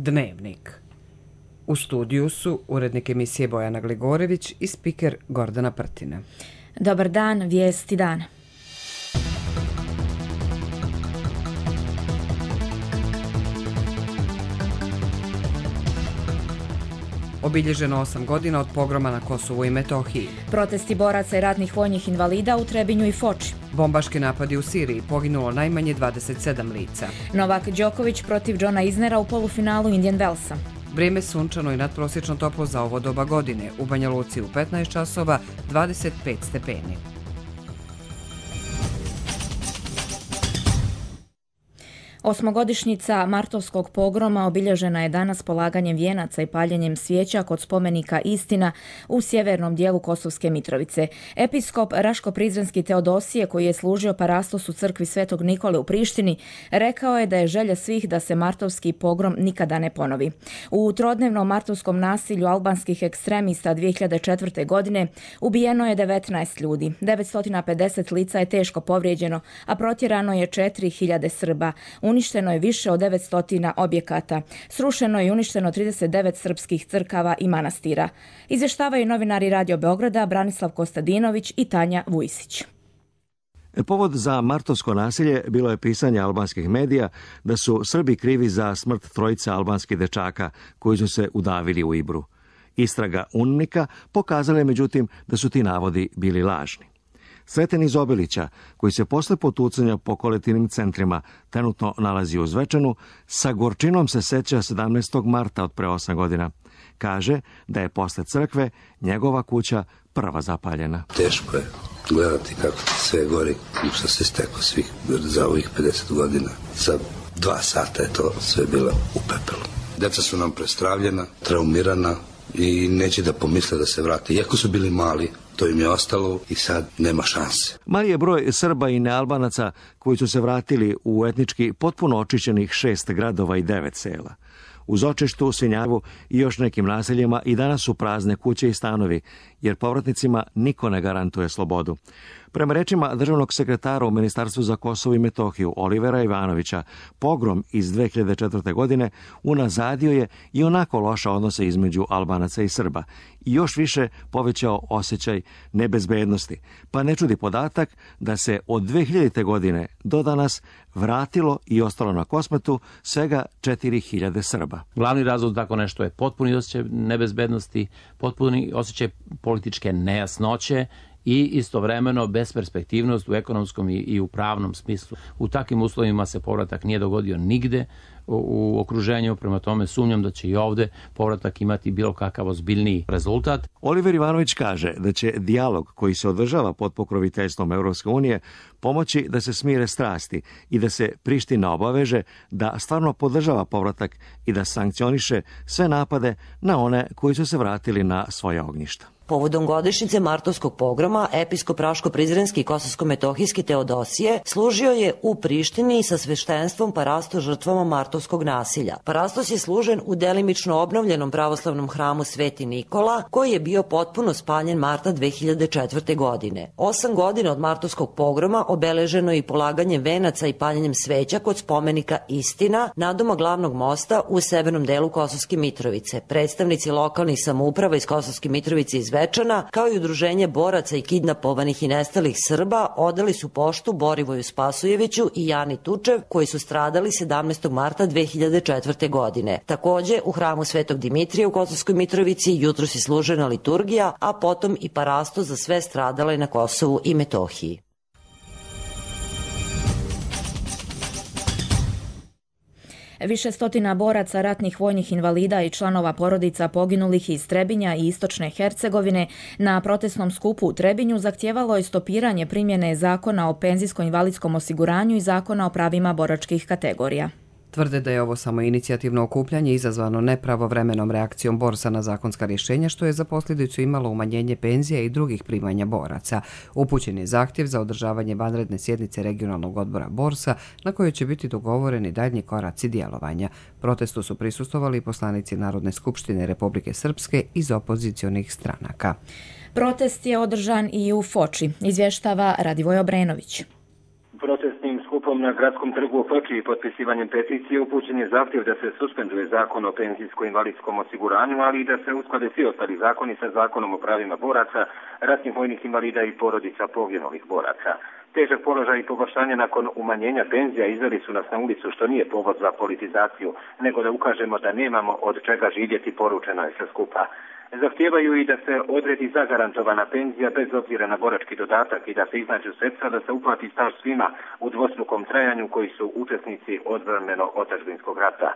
Dnevnik. U studiju su urednik emisije Bojana Gligorević i spiker Gordana Prtina. Dobar dan, vijesti dana. Obilježeno 8 godina od pogroma na Kosovu i Metohiji. Protesti boraca i ratnih vojnih invalida u Trebinju i Foči. Bombaški napadi u Siriji, poginulo najmanje 27 lica. Novak Đoković protiv Johna Isnera u polufinalu Indian Wellsa. Vrijeme sunčano i nadprosječno toplo za ovo doba godine. U Banja Luci u 15 časova 25 stepeni. Osmogodišnjica martovskog pogroma obilježena je danas polaganjem vijenaca i paljenjem svijeća kod spomenika Istina u sjevernom dijelu Kosovske Mitrovice. Episkop Raško-Prizrenski Teodosije, koji je služio parastos u crkvi Svetog Nikole u Prištini, rekao je da je želja svih da se martovski pogrom nikada ne ponovi. U trodnevnom martovskom nasilju albanskih ekstremista 2004. godine ubijeno je 19 ljudi, 950 lica je teško povrijeđeno, a protjerano je 4000 Srba. Uništeno je više od 900 objekata. Srušeno je i uništeno 39 srpskih crkava i manastira. Izvještavaju novinari Radio Beograda Branislav Kostadinović i Tanja Vujsić. Povod za martovsko nasilje bilo je pisanje albanskih medija da su Srbi krivi za smrt trojice albanskih dečaka koji su se udavili u Ibru. Istraga UNMIK-a pokazala je međutim da su ti navodi bili lažni. Sreten iz Obilića, koji se posle potucanja po kolektivnim centrima trenutno nalazi u Zvečanu, sa gorčinom se seća 17. marta od pre 8 godina. Kaže da je posle crkve njegova kuća prva zapaljena. Teško je gledati kako sve gori, što se steklo svih za ovih 50 godina. Za 2 sata je to sve bilo u pepelu. Deca su nam prestravljena, traumirana i neće da pomisle da se vrate. Iako su bili mali, to im je ostalo i sad nema šanse. Mali je broj Srba i nealbanaca koji su se vratili u etnički potpuno očišćenih 6 gradova i 9 sela. Uz Očeštu, Svinjavu i još nekim naseljima i danas su prazne kuće i stanovi, jer povratnicima niko ne garantuje slobodu. Prema rečima državnog sekretara u Ministarstvu za Kosovo i Metohiju Olivera Ivanovića, pogrom iz 2004. godine unazadio je i onako loša odnose između Albanaca i Srba i još više povećao osjećaj nebezbednosti, pa ne čudi podatak da se od 2000. godine do danas vratilo i ostalo na Kosmetu svega 4000 Srba. Glavni razlog tako nešto je potpuni osjećaj nebezbednosti, potpuni osjećaj političke nejasnoće i istovremeno besperspektivnost u ekonomskom i u pravnom smislu. U takvim uslovima se povratak nije dogodio nigde u okruženju, prema tome sumnjam da će i ovde povratak imati bilo kakav ozbiljniji rezultat. Oliver Ivanović kaže da će dijalog koji se održava pod pokroviteljstvom Evropske unije pomoći da se smire strasti i da se Priština obaveže da stvarno podržava povratak i da sankcioniše sve napade na one koji su se vratili na svoje ognjišta. Povodom godišnjice martovskog pogroma, episkop Raško-Prizrenski i Kosovsko-Metohijski Teodosije služio je u Prištini sa sveštenstvom parastos žrtvama martovskog nasilja. Parastos je služen u delimično obnovljenom pravoslavnom hramu Sveti Nikola, koji je bio potpuno spaljen marta 2004. godine. 8 godina od martovskog pogroma obeleženo je i polaganjem venaca i paljenjem sveća kod spomenika Istina, nadoma glavnog mosta u severnom delu Kosovske Mitrovice. Predstavnici lokalnih samouprava iz Kosovske Mitrovice iz Zvečana, kao i udruženje boraca i kidnapovanih i nestalih Srba, odali su poštu Borivoju Spasujeviću i Jani Tučev, koji su stradali 17. marta 2004. godine. Takođe, u hramu Svetog Dimitrija u Kosovskoj Mitrovici jutros je služena liturgija, a potom i parastos za sve stradale na Kosovu i Metohiji. Više stotina boraca, ratnih vojnih invalida i članova porodica poginulih iz Trebinja i Istočne Hercegovine na protestnom skupu u Trebinju zahtijevalo je stopiranje primjene Zakona o penzijsko-invalidskom osiguranju i Zakona o pravima boračkih kategorija. Tvrde da je ovo samo inicijativno okupljanje izazvano nepravovremenom reakcijom borsa na zakonska rješenja, što je za posljedicu imalo umanjenje penzija i drugih primanja boraca. Upućen je zahtjev za održavanje vanredne sjednice regionalnog odbora borsa, na kojoj će biti dogovoreni daljnji koraci djelovanja. Protestu su prisustvovali i poslanici Narodne skupštine Republike Srpske iz opozicionih stranaka. Protest je održan i u Foči, izvještava Radivoj Obrenović. Protestnim skupom Protestom na gradskom trgu u Foči i potpisivanjem peticije upućen je zahtjev da se suspenduje zakon o penzijsko-invalidskom osiguranju, ali i da se usklade svi ostali zakoni sa zakonom o pravima boraca, ratnih vojnih invalida i porodica poginulih boraca. Težak položaj i pogoršanje nakon umanjenja penzija izveli su nas na ulicu, što nije povod za politizaciju, nego da ukažemo da nemamo od čega živjeti, poručeno je sve skupa. Zahtijevaju i da se odredi zagarantovana penzija bez obzira na borački dodatak i da se iznađu sredstva da se uplati staž svima u dvostrukom trajanju koji su učesnici odbrambeno-otadžbinskog rata.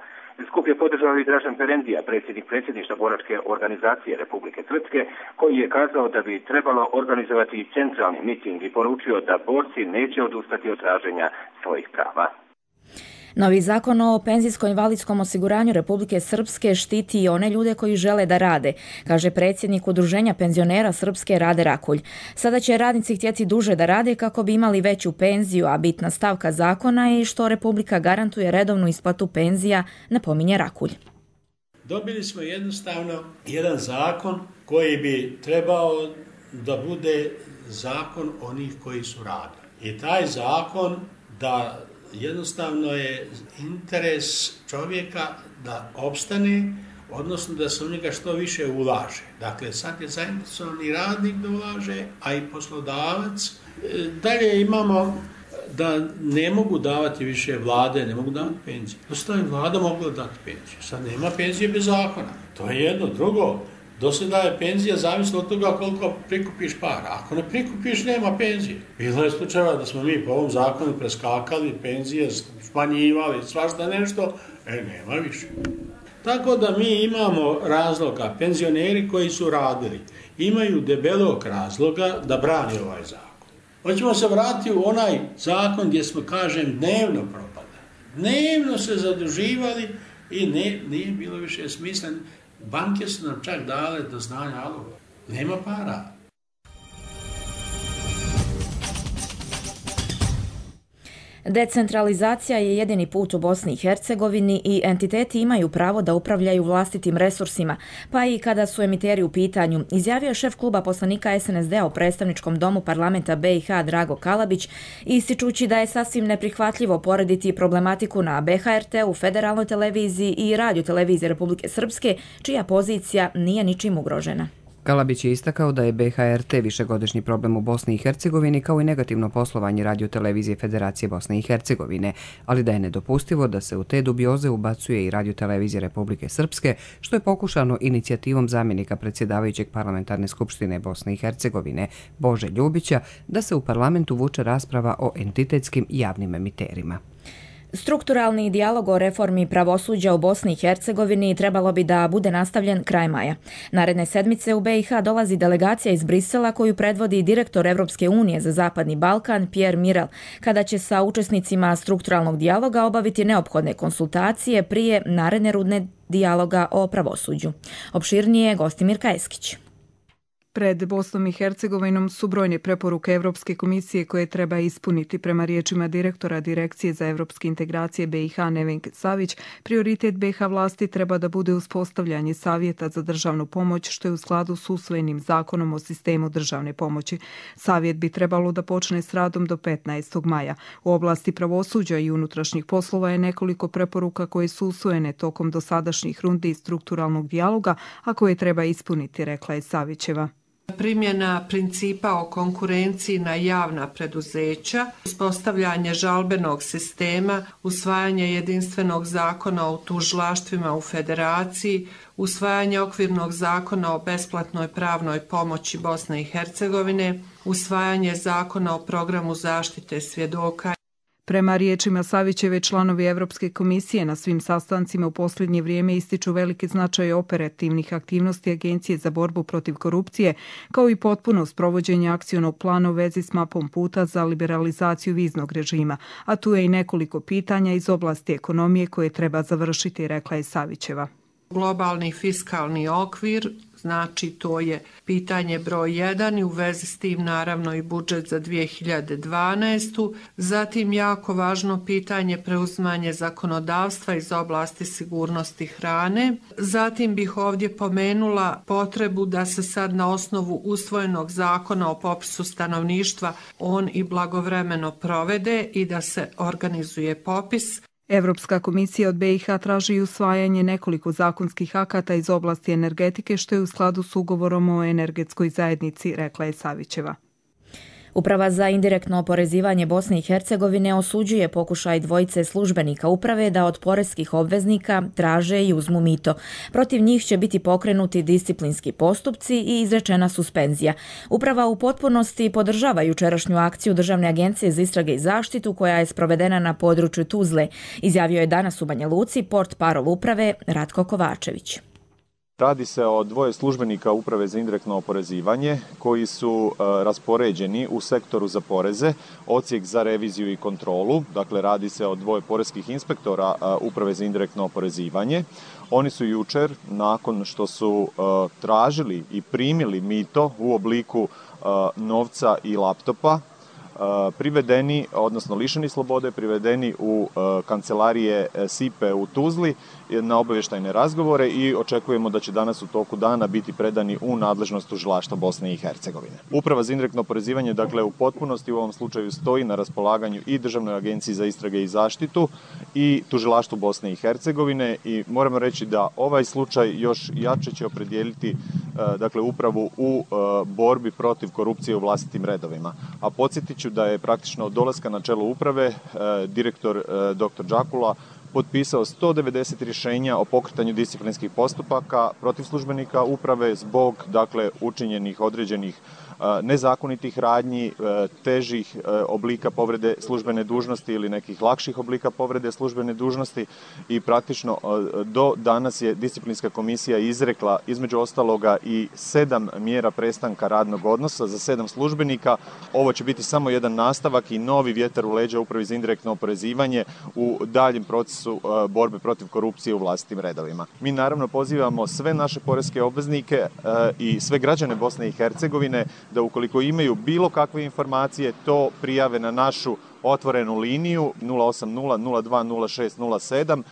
Skup je podržao i Dražen Perendija, predsjednik predsjedništva boračke organizacije Republike Srpske, koji je kazao da bi trebalo organizovati centralni miting i poručio da borci neće odustati od traženja svojih prava. Novi zakon o penzijsko-invalidskom osiguranju Republike Srpske štiti i one ljude koji žele da rade, kaže predsjednik Udruženja penzionera Srpske Rade Rakulj. Sada će radnici htjeti duže da rade kako bi imali veću penziju, a bitna stavka zakona je što Republika garantuje redovnu isplatu penzija, napominje Rakulj. Dobili smo jednostavno jedan zakon koji bi trebao da bude zakon onih koji su radili. I taj zakon da jednostavno je interes čovjeka da opstane, odnosno da se u njega što više ulaže. Dakle, sad je zainteresovan i radnik da ulaže, a i poslodavac. Dalje imamo da ne mogu davati više vlade, ne mogu davati penzije. Dosta je vlada mogla dati penziju. Sad nema penzije bez zakona. To je jedno. Drugo, do sada je penzija zavisno od toga koliko prikupiš para. Ako ne prikupiš, nema penzije. Bilo je slučajeva da smo mi po ovom zakonu preskakali, penzije smanjivali, svašta nešto, nema više. Tako da mi imamo razloga, penzioneri koji su radili, imaju debelog razloga da brani ovaj zakon. Hoćemo se vratiti u onaj zakon gdje smo, kažem, dnevno propadali. Dnevno se zaduživali i nije bilo više smisla. Banke su nam čak dale do znanja, alo, nema para. Decentralizacija je jedini put u Bosni i Hercegovini i entiteti imaju pravo da upravljaju vlastitim resursima, pa i kada su emiteri u pitanju, izjavio je šef kluba poslanika SNSD-a u predstavničkom domu parlamenta BiH Drago Kalabić, ističući da je sasvim neprihvatljivo porediti problematiku na BHRT-u, Federalnoj televiziji i Radio-televiziji Republike Srpske, čija pozicija nije ničim ugrožena. Kalabić je istakao da je BHRT višegodišnji problem u Bosni i Hercegovini kao i negativno poslovanje Radio-televizije Federacije Bosne i Hercegovine, ali da je nedopustivo da se u te dubioze ubacuje i Radio-televizija Republike Srpske, što je pokušano inicijativom zamjenika predsjedavajućeg Parlamentarne skupštine Bosne i Hercegovine Bože Ljubića da se u parlamentu vuče rasprava o entitetskim javnim emiterima. Strukturalni dijalog o reformi pravosuđa u Bosni i Hercegovini trebalo bi da bude nastavljen kraj maja. Naredne sedmice u BiH dolazi delegacija iz Brisela koju predvodi direktor Evropske unije za Zapadni Balkan Pierre Mirel, kada će sa učesnicima strukturalnog dijaloga obaviti neophodne konsultacije prije naredne runde dijaloga o pravosuđu. Opširnije Gostimir Kajeskić. Pred Bosnom i Hercegovinom su brojne preporuke Evropske komisije koje treba ispuniti. Prema riječima direktora Direkcije za evropske integracije BiH Nevenke Savić, prioritet BiH vlasti treba da bude uspostavljanje savjeta za državnu pomoć, što je u skladu s usvojenim zakonom o sistemu državne pomoći. Savjet bi trebalo da počne s radom do 15. maja. U oblasti pravosuđa i unutrašnjih poslova je nekoliko preporuka koje su usvojene tokom dosadašnjih rundi strukturalnog dijaloga, a koje treba ispuniti, rekla je Savićeva. Primjena principa o konkurenciji na javna preduzeća, uspostavljanje žalbenog sistema, usvajanje jedinstvenog zakona o tužilaštvima u Federaciji, usvajanje okvirnog zakona o besplatnoj pravnoj pomoći Bosne i Hercegovine, usvajanje zakona o programu zaštite svjedoka. Prema riječima Savićeve, članovi Evropske komisije na svim sastancima u posljednje vrijeme ističu veliki značaj operativnih aktivnosti Agencije za borbu protiv korupcije, kao i potpuno sprovođenje akcionog plana u vezi s mapom puta za liberalizaciju viznog režima, a tu je i nekoliko pitanja iz oblasti ekonomije koje treba završiti, rekla je Savićeva. Globalni fiskalni okvir Znači, to je pitanje broj 1 i u vezi s tim naravno i budžet za 2012. Zatim jako važno pitanje preuzimanje zakonodavstva iz oblasti sigurnosti hrane. Zatim bih ovdje pomenula potrebu da se sad na osnovu usvojenog zakona o popisu stanovništva on i blagovremeno provede i da se organizuje popis. Evropska komisija od BiH traži usvajanje nekoliko zakonskih akata iz oblasti energetike što je u skladu s ugovorom o energetskoj zajednici, rekla je Savićeva. Uprava za indirektno oporezivanje Bosne i Hercegovine osuđuje pokušaj dvojice službenika uprave da od poreskih obveznika traže i uzmu mito. Protiv njih će biti pokrenuti disciplinski postupci i izrečena suspenzija. Uprava u potpunosti podržava jučerašnju akciju Državne agencije za istrage i zaštitu koja je sprovedena na području Tuzle, izjavio je danas u Banja Luci portparol uprave Ratko Kovačević. Radi se o dvoje službenika Uprave za indirektno oporezivanje koji su raspoređeni u sektoru za poreze, odsjek za reviziju i kontrolu. Dakle, radi se o dvoje poreskih inspektora Uprave za indirektno oporezivanje. Oni su jučer, nakon što su tražili i primili mito u obliku novca i laptopa, privedeni, odnosno lišeni slobode, privedeni u kancelarije SIPE u Tuzli na obavještajne razgovore i očekujemo da će danas u toku dana biti predani u nadležnost tužilaštva Bosne i Hercegovine. Uprava za indirektno oporezivanje, dakle, u potpunosti u ovom slučaju stoji na raspolaganju i Državnoj agenciji za istrage i zaštitu i tužilaštvu Bosne i Hercegovine i moramo reći da ovaj slučaj još jače će opredijeliti dakle, upravu u borbi protiv korupcije u vlastitim redovima. A podsjetit ću da je praktično od dolaska na čelo uprave direktor dr. Đakula potpisao 190 rješenja o pokretanju disciplinskih postupaka protiv službenika uprave zbog učinjenih određenih nezakonitih radnji, težih oblika povrede službene dužnosti ili nekih lakših oblika povrede službene dužnosti i praktično do danas je disciplinska komisija izrekla između ostaloga i 7 mjera prestanka radnog odnosa za 7 službenika. Ovo će biti samo jedan nastavak i novi vjetar u leđa Upravi za indirektno oporezivanje u daljem procesu borbe protiv korupcije u vlastitim redovima. Mi naravno pozivamo sve naše poreske obveznike i sve građane Bosne i Hercegovine da ukoliko imaju bilo kakve informacije to prijave na našu otvorenu liniju 080 02 06 07.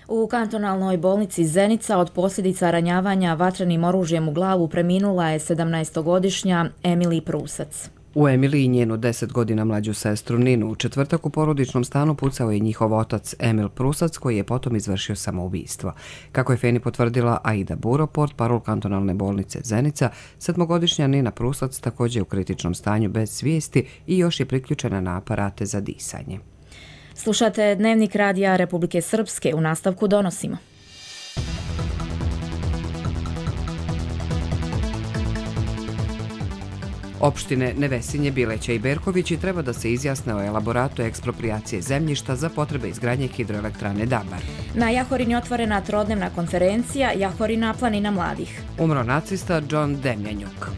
U kantonalnoj bolnici Zenica od posljedica ranjavanja vatrenim oružjem u glavu preminula je 17-godišnja Emily Prusac. U Emily i njenu 10 godina mlađu sestru Ninu u četvrtak u porodičnom stanu pucao je njihov otac Emil Prusac koji je potom izvršio samoubistvo. Kako je Feni potvrdila Aida Buro, portparol kantonalne bolnice Zenica, 7-godišnja Nina Prusac također je u kritičnom stanju bez svijesti i još je priključena na aparate za disanje. Slušate Dnevnik radija Republike Srpske, u nastavku donosimo. Opštine Nevesinje, Bileća i Berkovići treba da se izjasne o elaboratu eksproprijacije zemljišta za potrebe izgradnje hidroelektrane Dabar. Na Jahorini otvorena trodnevna konferencija Jahorina planina mladih. Umro nacista John Demjanjuk.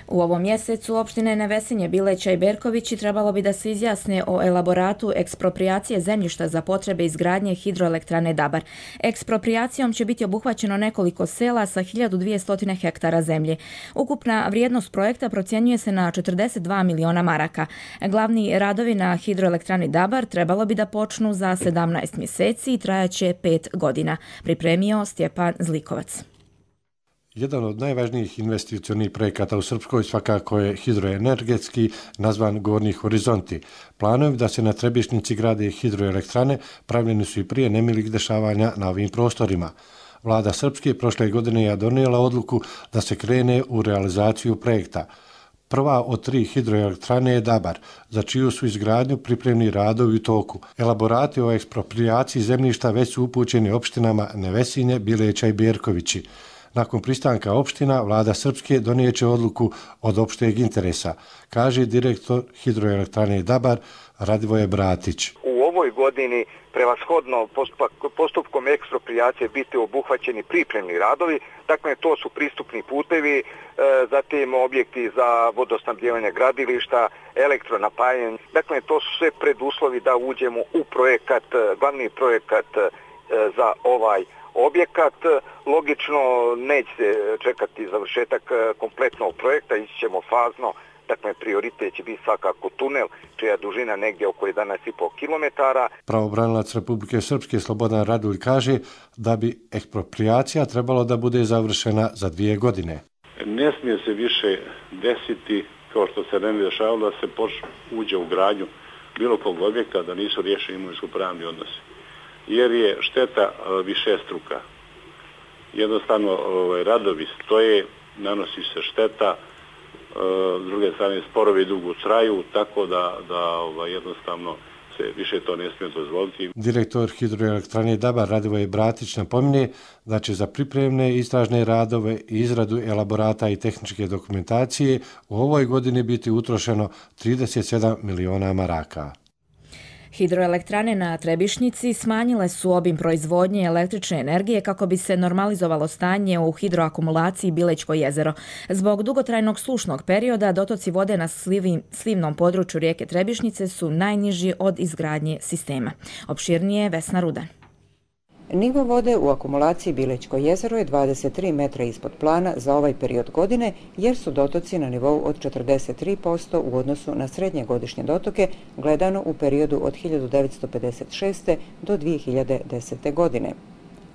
U ovom mjesecu opštine Nevesinje, Bileća i Berkovići trebalo bi da se izjasne o elaboratu eksproprijacije zemljišta za potrebe izgradnje hidroelektrane Dabar. Eksproprijacijom će biti obuhvaćeno nekoliko sela sa 1200 hektara zemlje. Ukupna vrijednost projekta procjenjuje se na 42 miliona maraka. Glavni radovi na hidroelektrani Dabar trebalo bi da počnu za 17 mjeseci i trajaće 5 godina. Pripremio Stjepan Zlikovac. Jedan od najvažnijih investicionih projekata u Srpskoj svakako je hidroenergetski nazvan Gornji horizonti. Planovi da se na Trebišnjici grade hidroelektrane pravljeni su i prije nemilih dešavanja na ovim prostorima. Vlada Srpske prošle godine je donijela odluku da se krene u realizaciju projekta. Prva od 3 hidroelektrane je Dabar, za čiju su izgradnju pripremni radovi u toku. Elaborati o eksproprijaciji zemljišta već su upućeni opštinama Nevesinje, Bileća i Berkovići. Nakon pristanka opština, vlada Srpske donijeće odluku od opšteg interesa, kaže direktor hidroelektrane Dabar Radivoje Bratić. U ovoj godini prevashodno postupkom eksproprijacije biti obuhvaćeni pripremni radovi, dakle to su pristupni putevi, zatim objekti za vodosnabdijevanje gradilišta, elektronapajanje, dakle to su sve preduslovi da uđemo u projekat, glavni projekat za ovaj objekat. Logično neće se čekati završetak kompletnog projekta, ići ćemo fazno. Dakle, prioritet će biti svakako tunel, čija dužina negdje oko 11,5 km. Pravobranilac Republike Srpske Slobodan Radulj kaže da bi eksproprijacija trebalo da bude završena za 2 godine. Ne smije se više desiti, kao što se ne dešavalo, da se uđe u gradnju bilo kog objekta, da nisu riješeni imovinsko-pravni odnosi. Jer je šteta višestruka. Jednostavno radovi stoje, nanosi se šteta, s druge strane sporovi dugo traju, tako da jednostavno se više to ne smije dozvoliti. Direktor hidroelektrane Dabar Radivoje Bratić napominje da će za pripremne istražne radove i izradu elaborata i tehničke dokumentacije u ovoj godini biti utrošeno 37 miliona maraka. Hidroelektrane na Trebišnjici smanjile su obim proizvodnje električne energije kako bi se normalizovalo stanje u hidroakumulaciji Bilećko jezero. Zbog dugotrajnog sušnog perioda dotoci vode na slivnom području rijeke Trebišnjice su najniži od izgradnje sistema. Opširnije Vesna Rudan. Nivo vode u akumulaciji Bilećko jezero je 23 metra ispod plana za ovaj period godine, jer su dotoci na nivou od 43% u odnosu na srednje godišnje dotoke, gledano u periodu od 1956. do 2010. godine.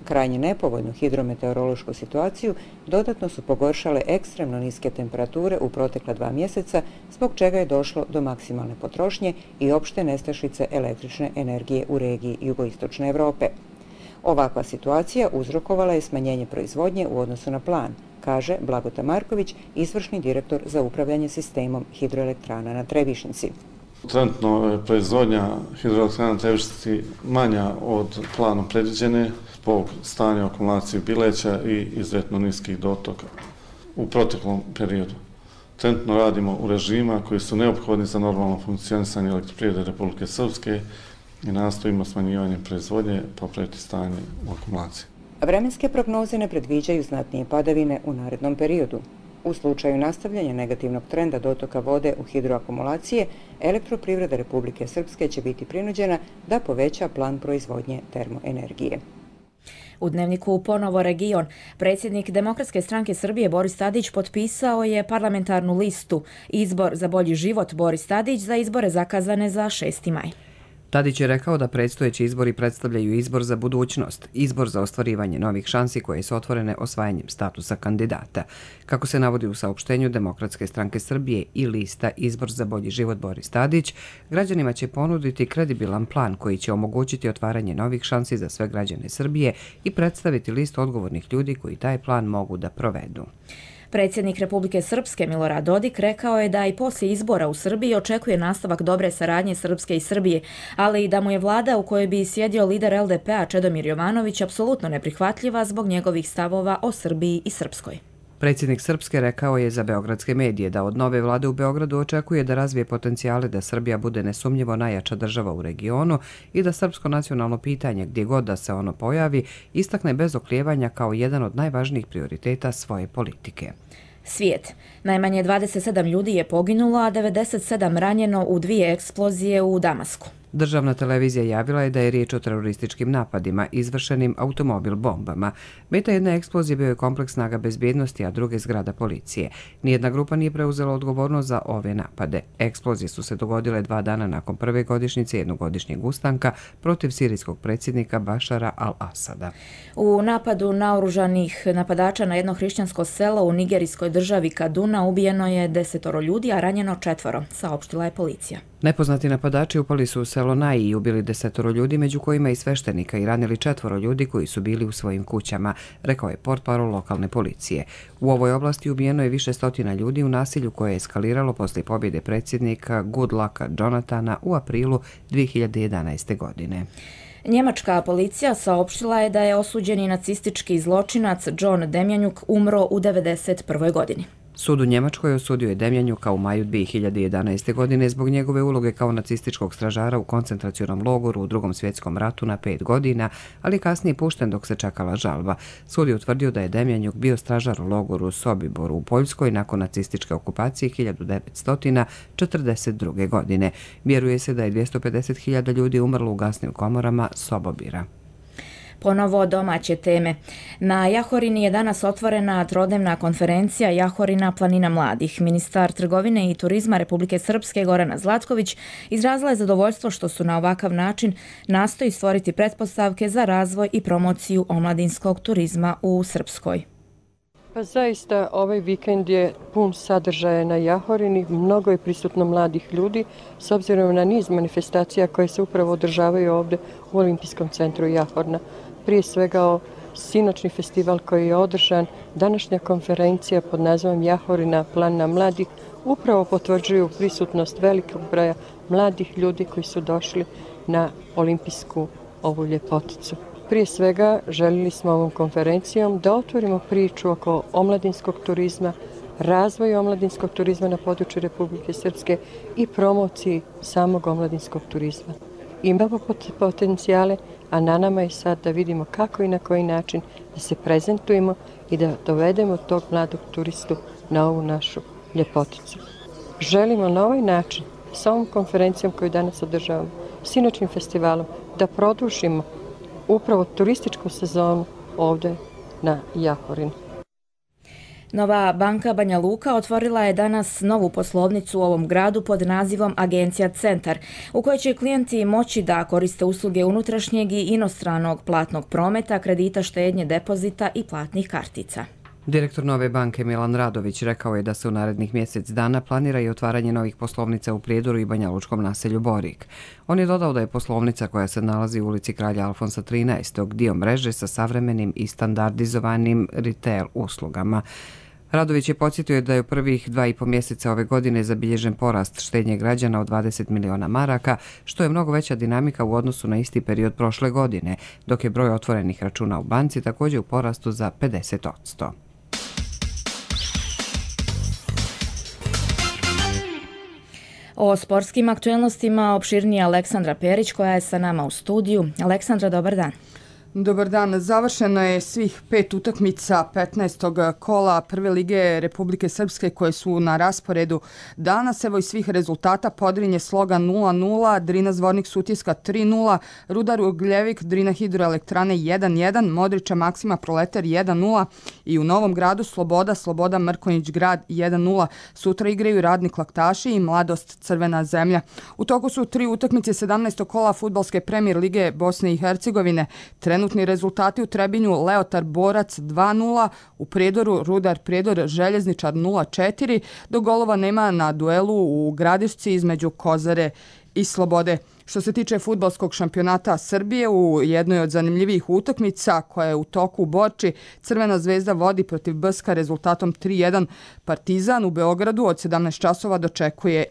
Krajnje nepovoljnu hidrometeorološku situaciju dodatno su pogoršale ekstremno niske temperature u protekla 2 mjeseca, zbog čega je došlo do maksimalne potrošnje i opšte nestašice električne energije u regiji jugoistočne Evrope. Ovakva situacija uzrokovala je smanjenje proizvodnje u odnosu na plan, kaže Blagota Marković, izvršni direktor za upravljanje sistemom hidroelektrana na Trebišnjici. Trenutno je proizvodnja hidroelektrana na Trebišnjici manja od planom predviđene zbog stanja akumulacije Bileća i izuzetno niskih dotoka u proteklom periodu. Trenutno radimo u režima koji su neophodni za normalno funkcionisanje elektroprivrede Republike Srpske i nastojimo smanjivanjem proizvodnje popraviti stanje u akumulaciji. Vremenske prognoze ne predviđaju znatnije padavine u narednom periodu. U slučaju nastavljanja negativnog trenda dotoka vode u hidroakumulacije, elektroprivreda Republike Srpske će biti prinuđena da poveća plan proizvodnje termoenergije. U Dnevniku ponovo region. Predsjednik Demokratske stranke Srbije Boris Tadić potpisao je parlamentarnu listu Izbor za bolji život Boris Tadić za izbore zakazane za 6. maj. Tadić je rekao da predstojeći izbori predstavljaju izbor za budućnost, izbor za ostvarivanje novih šansi koje su otvorene osvajanjem statusa kandidata. Kako se navodi u saopštenju Demokratske stranke Srbije i lista Izbor za bolji život Boris Tadić, građanima će ponuditi kredibilan plan koji će omogućiti otvaranje novih šansi za sve građane Srbije i predstaviti listu odgovornih ljudi koji taj plan mogu da provedu. Predsjednik Republike Srpske Milorad Dodik rekao je da i poslije izbora u Srbiji očekuje nastavak dobre saradnje Srpske i Srbije, ali i da mu je vlada u kojoj bi sjedio lider LDP-a Čedomir Jovanović apsolutno neprihvatljiva zbog njegovih stavova o Srbiji i Srpskoj. Predsjednik Srpske rekao je za beogradske medije da od nove vlade u Beogradu očekuje da razvije potencijale da Srbija bude nesumnjivo najjača država u regionu i da srpsko nacionalno pitanje, gdje god da se ono pojavi, istakne bez oklijevanja kao jedan od najvažnijih prioriteta svoje politike. Svijet. Najmanje 27 ljudi je poginulo, a 97 ranjeno u 2 eksplozije u Damasku. Državna televizija javila je da je riječ o terorističkim napadima izvršenim automobil bombama. Meta jedne eksplozije bio je kompleks snaga bezbjednosti, a druge zgrada policije. Nijedna grupa nije preuzela odgovornost za ove napade. Eksplozije su se dogodile 2 dana nakon prve godišnjice jednogodišnjeg ustanka protiv sirijskog predsjednika Bašara al-Asada. U napadu naoružanih napadača na jedno hrišćansko selo u nigerijskoj državi Kaduna ubijeno je 10 ljudi, a ranjeno 4, saopštila je policija. Nepoznati napadači upali su u selo Naji i ubili 10 ljudi, među kojima i sveštenika, i ranili 4 ljudi koji su bili u svojim kućama, rekao je portparol lokalne policije. U ovoj oblasti ubijeno je više stotina ljudi u nasilju koje je eskaliralo poslije pobjede predsjednika Goodlucka Jonathana u aprilu 2011. godine. Njemačka policija saopštila je da je osuđeni nacistički zločinac John Demjanjuk umro u 1991. godini. Sud u Njemačkoj osudio je Demjanjuka u maju 2011. godine zbog njegove uloge kao nacističkog stražara u koncentracionom logoru u Drugom svjetskom ratu na 5 godina, ali kasnije pušten dok se čekala žalba. Sud je utvrdio da je Demjanjuk bio stražar u logoru Sobiboru u Poljskoj nakon nacističke okupacije 1942. godine. Vjeruje se da je 250.000 ljudi umrlo u gasnim komorama Sobobira. Ponovo domaće teme. Na Jahorini je danas otvorena trodnevna konferencija Jahorina planina mladih. Ministar trgovine i turizma Republike Srpske Gorana Zlatković izrazila je zadovoljstvo što su na ovakav način nastoji stvoriti pretpostavke za razvoj i promociju omladinskog turizma u Srpskoj. Pa zaista ovaj vikend je pun sadržaja na Jahorini, mnogo je prisutno mladih ljudi s obzirom na niz manifestacija koje se upravo održavaju ovdje u Olimpijskom centru Jahorna. Prije svega sinoćni festival koji je održan, današnja konferencija pod nazivom Jahorina planina mladih upravo potvrđuju prisutnost velikog broja mladih ljudi koji su došli na olimpijsku ovu ljepoticu. Prije svega željeli smo ovom konferencijom da otvorimo priču oko omladinskog turizma, razvoju omladinskog turizma na području Republike Srpske i promociji samog omladinskog turizma. Imamo potencijale, a na nama je sad da vidimo kako i na koji način da se prezentujemo i da dovedemo tog mladog turistu na ovu našu ljepoticu. Želimo na ovaj način, s ovom konferencijom koju danas održavamo, sinoćnim festivalom, da produžimo upravo turističku sezonu ovdje na Jahorinu. Nova banka Banja Luka otvorila je danas novu poslovnicu u ovom gradu pod nazivom Agencija Centar, u kojoj će klijenti moći da koriste usluge unutrašnjeg i inostranog platnog prometa, kredita, štednje, depozita i platnih kartica. Direktor Nove banke Milan Radović rekao je da se u narednih mjesec dana planira i otvaranje novih poslovnica u Prijedoru i banjalučkom naselju Borik. On je dodao da je poslovnica koja se nalazi u ulici Kralja Alfonsa 13. dio mreže sa savremenim i standardizovanim retail uslugama. Radović je podsjetio da je u prvih 2,5 mjeseca ove godine zabilježen porast štednje građana od 20 miliona maraka, što je mnogo veća dinamika u odnosu na isti period prošle godine, dok je broj otvorenih računa u banci također u porastu za 50%. O sportskim aktuelnostima opširnije Aleksandra Perić koja je sa nama u studiju. Aleksandra, dobar dan. Dobar dan. Završeno je svih 5 utakmica 15. kola Prve lige Republike Srpske koje su na rasporedu danas. Evo i svih rezultata. Podrinje Sloga 0-0, Drina Zvornik Sutjeska 3-0, Rudar Ugljevik, Drina Hidroelektrane 1-1, Modrića Maksima Proletar 1-0 i u Novom Gradu Sloboda Mrkonjić Grad 1-0. Sutra igraju Radnik Laktaši i Mladost Crvena zemlja. U toku su 3 utakmice 17. kola Fudbalske premijer lige Bosne i Hercegovine. Trenutni rezultati u Trebinju Leotar Borac 2-0, u Prijedoru Rudar Prijedor Željezničar 0-4, do golova nema na duelu u Gradišci između Kozare i Slobode. Što se tiče fudbalskog šampionata Srbije, u jednoj od zanimljivijih utakmica koja je u toku u Borči, Crvena zvezda vodi protiv Brska rezultatom 3-1. Partizan u Beogradu od 17 časova dočekuje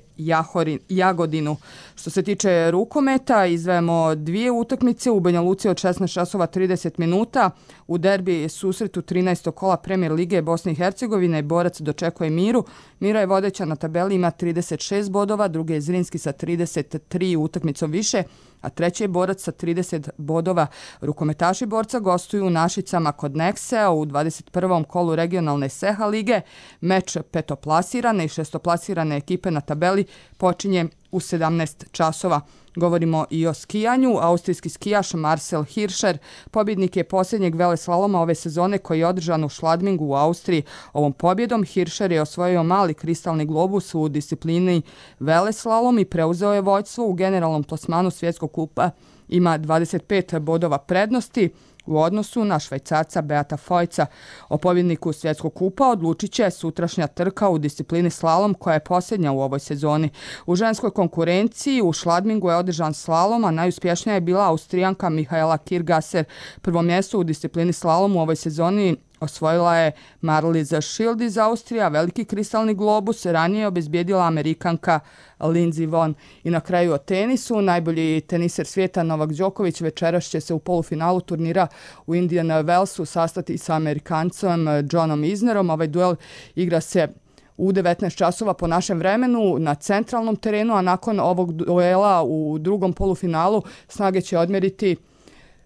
Jagodinu. Što se tiče rukometa, izdvajamo 2 utakmice u Banja Luci od 16 časova 30 minuta. U derbi susretu 13. kola Premijer lige Bosne i Hercegovine Borac dočekuje Miru. Mira je vodeća na tabeli, ima 36 bodova, drugi je Zrinski sa 33 utakmicom više, a treći je Borac sa 30 bodova. Rukometaši Borca gostuju u Našicama kod Neksea u 21. kolu regionalne SEHA lige. Meč petoplasirane i šestoplasirane ekipe na tabeli počinje u 17 časova. Govorimo i o skijanju. Austrijski skijaš Marcel Hirscher pobjednik je posljednjeg veleslaloma ove sezone koji je održan u Schladmingu u Austriji. Ovom pobjedom Hirscher je osvojio mali kristalni globus u disciplini veleslalom i preuzeo je vođstvo u generalnom plasmanu svjetskog kupa. Ima 25 bodova prednosti u odnosu na Švajcarca Beata Fojca. O pobjedniku svjetskog kupa odlučit će sutrašnja trka u disciplini slalom koja je posljednja u ovoj sezoni. U ženskoj konkurenciji u Schladmingu je održan slalom, a najuspješnija je bila Austrijanka Mihaela Kirgasser. Prvo mjesto u disciplini slalom u ovoj sezoni osvojila je Marliza Schild iz Austrije, a veliki kristalni globus ranije obezbijedila Amerikanka Lindsey Vonn. I na kraju o tenisu, najbolji teniser svijeta Novak Đoković večeras će se u polufinalu turnira u Indian Wellsu sastati sa Amerikancem Johnom Isnerom. Ovaj duel igra se u 19 časova po našem vremenu na centralnom terenu, a nakon ovog duela u drugom polufinalu snage će odmjeriti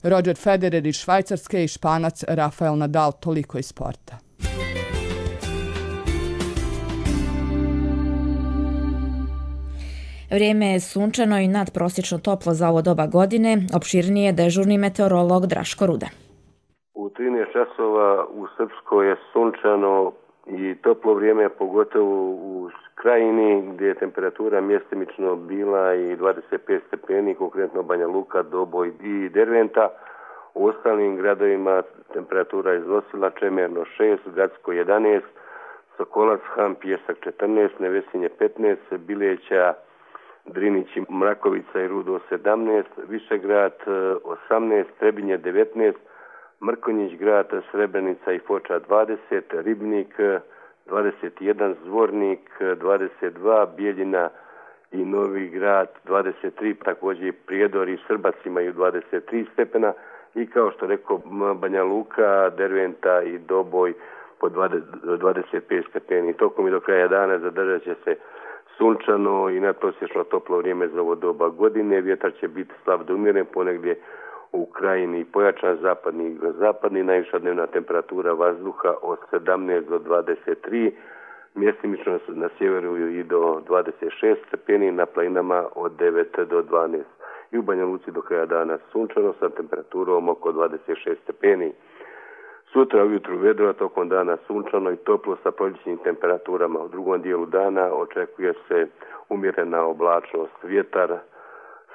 Roger Federer iz Švajcarske i Španac Rafael Nadal. Toliko iz sporta. Vrijeme je sunčano i nadprosječno toplo za ovo doba godine, opširnije dežurni meteorolog Draško Ruda. U 13 časova u Srpskoj je sunčano i toplo vrijeme, pogotovo u Krajini, gdje je temperatura mjestimično bila i 25 stepeni, konkretno Banja Luka, Doboj i Derventa. U ostalim gradovima temperatura je iznosila Čemerno 6, Gacko 11, Sokolac, Han, Pjesak 14, Nevesinje 15, Bileća, Drinić, Mrakovica i Rudo 17, Višegrad 18, Trebinje 19, Mrkonjić grad, Srebrenica i Foča 20, Ribnik 21, Zvornik 22, Bijeljina i Novi Grad 23, također i Prijedor i Srbac imaju 23 stepena i kao što rekao Banja Luka, Derventa i Doboj po 25 stepeni. Tokom i do kraja dana zadržat će se sunčano i nadprosječno toplo vrijeme za ovo doba godine. Vjetar će biti slab do umjeren, ponegdje u Krajini pojačan zapadni, najviša dnevna temperatura vazduha od 17 do 23, mjestimično na sjeveru i do 26 stepeni, na planinama od 9 do 12. I u Banja Luci do kraja dana sunčano sa temperaturom oko 26 stepeni. Sutra ujutru vedro, tokom dana sunčano i toplo sa proljećnim temperaturama. U drugom dijelu dana očekuje se umjerena oblačnost, vjetar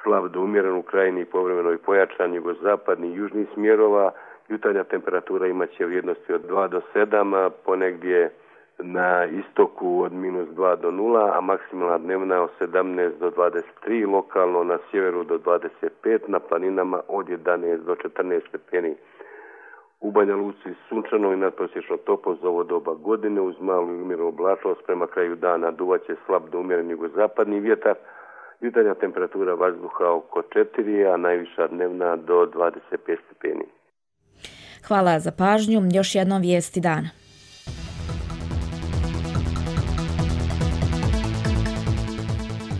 slab do umjeren u Krajini, povremeno i pojačan jugozapadni i južnih smjerova. Jutarnja temperatura imaće vrijednosti od 2 do 7, ponegdje na istoku od -2 do 0, a maksimalna dnevna od 17 do 23, lokalno na sjeveru do 25, na planinama od 11 do 14 stepeni. U Banja Luci sunčano i nadprosječno toplo za ovo doba godine uz malu i umjerenu oblačnost. Prema kraju dana duvaće slab do umjeren jugozapadni vjetar. Jutarnja temperatura vazduha oko 4, a najviša dnevna do 25 stepeni. Hvala za pažnju. Još jednom vijesti dana.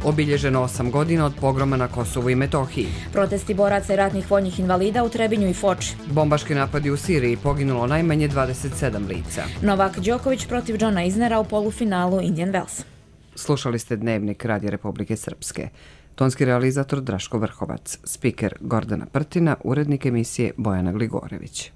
Obilježeno 8 godina od pogroma na Kosovu i Metohiji. Protesti boraca i ratnih vojnih invalida u Trebinju i Foči. Bombaški napadi u Siriji, poginulo najmanje 27 lica. Novak Đoković protiv Johna Isnera u polufinalu Indian Wells. Slušali ste Dnevnik Radija Republike Srpske. Tonski realizator Draško Vrhovac, spiker Gordana Prtina, urednik emisije Bojana Gligorević.